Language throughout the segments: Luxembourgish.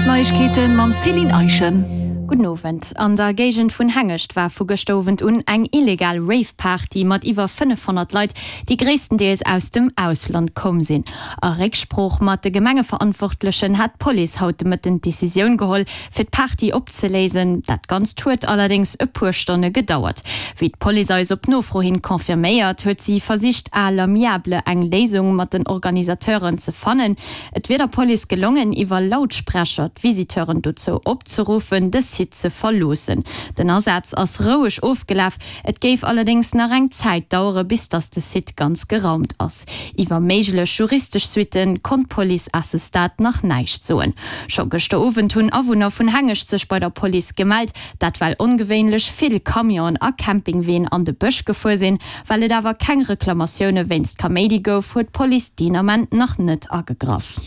d'Neiegkeete mam Céline Eischen. Gudden Owend. An der Géigend vun Hengescht war vu gëschter Owend un eng illegal Rave-Party mat iwwer 500 Leit, déi gréisstendeels aus dem Ausland komm sinn. A Récksprooch mat de Gemengeverantwortlechen hat d'Police haut de Mëtten d'Decisioun geholl, fir d'Party opzeléisen. Dat Ganzt huet allerdéngs e puer Stonne gedauert. Wéi d'Police eis op Nofro hin confirméiert, huet si versicht à l'amiable eng Léisung mat den Organisateuren ze fannen. Et wier der Police gelongen, iwwer Lautsprecher d'Visiteuren dozou opzeruffen, de Site ze verloossen. Den Asaz ass roueg ofgelaf, Et géif allerdéngs nach eng Zäit dauere bis datt de Site ganz geraumt ass. Iwwer méiglech juristesch Suitte konnt d'Police à ce stade nach näischt soen. Scho gëschter Owend hunn Awunner vun Hengescht sech bei der Police gemellt, dat well ongewéinlech vill Camionen a Campingween an de Bësch gefuer sinn. Well et awer keng Reklamatioune wéinst Kaméidi gouf, huet d'Police deen Ament nach net agegraff.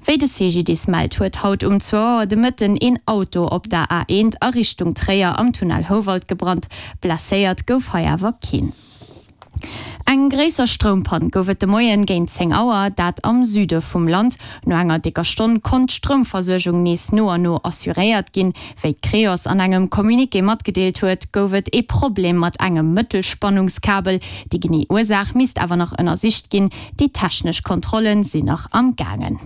Wéi de CGDIS mellt, huet haut um zwou Auer de Mëtten een Auto op der A1 a Richtung Tréier am Tunnel Houwald gebrannt. Blesséiert gouf hei awer keen. Eng gréisser Stroumpann gouf et de Moien géint 10 Auer, dat am Süde vum Land. No enger décker Stonn konnt d'Stroumversuergung nees no an no assuréiert ginn. Wéi d'Creos an engem Communiqué matgedeelt huet, gouf et ee Problem mat engem Mëttelspannungskabel. Déi genee Ursaach misst awer nach ënnersicht ginn. Déi technesch Kontrollen sinn nach am gaangen.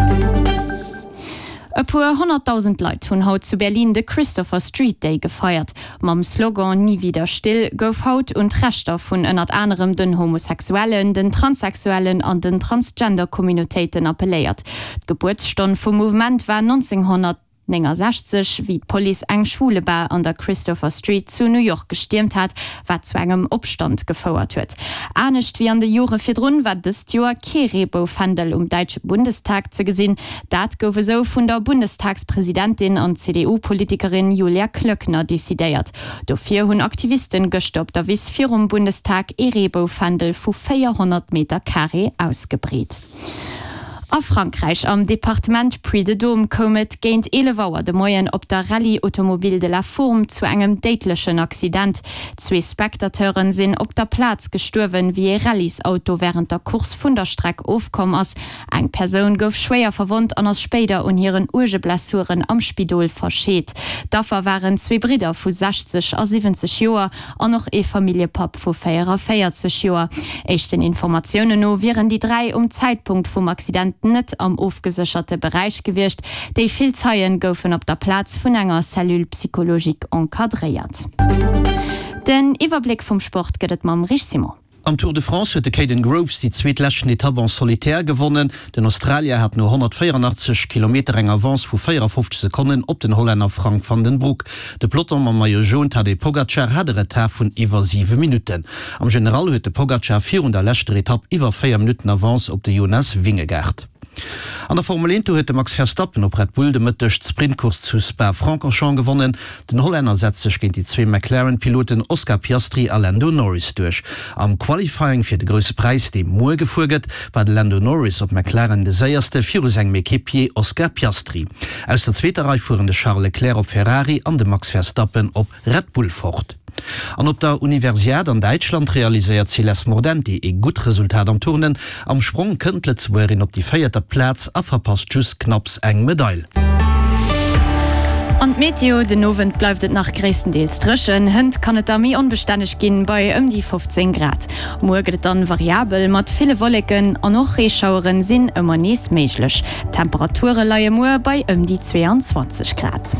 E puer 100.000 Leit hunn haut zu Berlin de Christopher Street Day gefeiert. Mam Slogan Nie wieder still gouf haut un d'Rechter vun ënnert anerem den Homosexuellen, den Transsexuellen an den Transgender-Communautéiten appelléiert. D'Gebuertsstonn vum Mouvement war 1900. 69, wéi d'Police eng Schwulebar an der Christopher Street zu New York gestiermt hat, wat zu engem Opstand gefouert huet. Anescht wéi an de Jore virdrun war dëst Joer kee Reeboufändel um däitsche Bundestag ze gesinn. Dat gouf esou vun der Bundestagspresidentin an CDU-Politikerin Julia Klöckner decidéiert. Dofir hunn Aktivisten gëschter op der Wiss virum Bundestag ee Reeboufändel vu 400 Meter Carré ausgebreet. A Frankräich, am Departement Puy-de-Dôme, koum et géint 11 Auer de Moien op der Rallye automobile de la Fourme zu engem déidlechen Accident. Zwee Spectateuren sinn op der Plaz gestuerwen, wéi ee Rallyesauto wärend der Course vun der Streck ofkomm ass. Eng Persoun gouf schwéier verwonnt an ass spéider un hiren uerge Blessuren am Spidol verscheet. D'Affer waren zwee Bridder vu 60 a 70 Joer. An och ee Familljepapp vu 44 Joer. Éischten Informatiounen no wieren déi 3 um Zäitpunkt vum Accident net am ofgesécherte Beräich gewiescht. Déi vill Zeien goufen op der Plaz vun enger Cellule psychologique encadréiert. Den Iwwerbléck vum Sport gëtt et mam Rich Simon. Am Tour de France huet de Kaden Groves déi zweet leschten Etapp en solitaire gewonnen. Den Australier hat no 184 Kilometer eng Avance vu 54 Sekonnen op den Hollänner Frank Vandenbroucke. De Peloton mam Maillot Jaune Tadej Pogacar hat e Retard vun iwwer 7 Minutten. Am General huet de Pogacar virun der leschter Etapp iwwer 4 Minutten Avance op de Jonas Vingegaard. An der Formel 1 huet de Max Verstappen op Red Bull de Mëtteg d'Sprintcourse zu Spa-Francorchamps gewonnen. Den Hollänner setzt sech géint déi zwee McLaren-Piloten Oscar Piastri a Lando Norris duerch. Am Qualifying fir de Grousse Präis, dee muer gefuer gëtt, war de Lando Norris op McLaren de séierste viru sengem Equipier Oscar Piastri. Aus der zweeter Rei fueren de Charles Leclerc op Ferrari an de Max Verstappen op Red Bull fort. An op der Universiad an Däitschland realiséiert d'Céleste Mordenti ee gutt Resultat am Turnen. Am Sprong kënnt d'Lëtzebuergerin op déi véierter Plaz a verpasst just knapps eng Medail. An d'Meteo, Den Owend bleift et nach gréisstendeels dréchen, hënt kann et da méi onbestänneg ginn, bei ëm déi 15 Grad. Muer gëtt et dann variabel mat ville Wolleken an och Reeschaueren sinn ëmmer nees méiglech. D'Temperature leie muer bei ëm déi 22 Grad.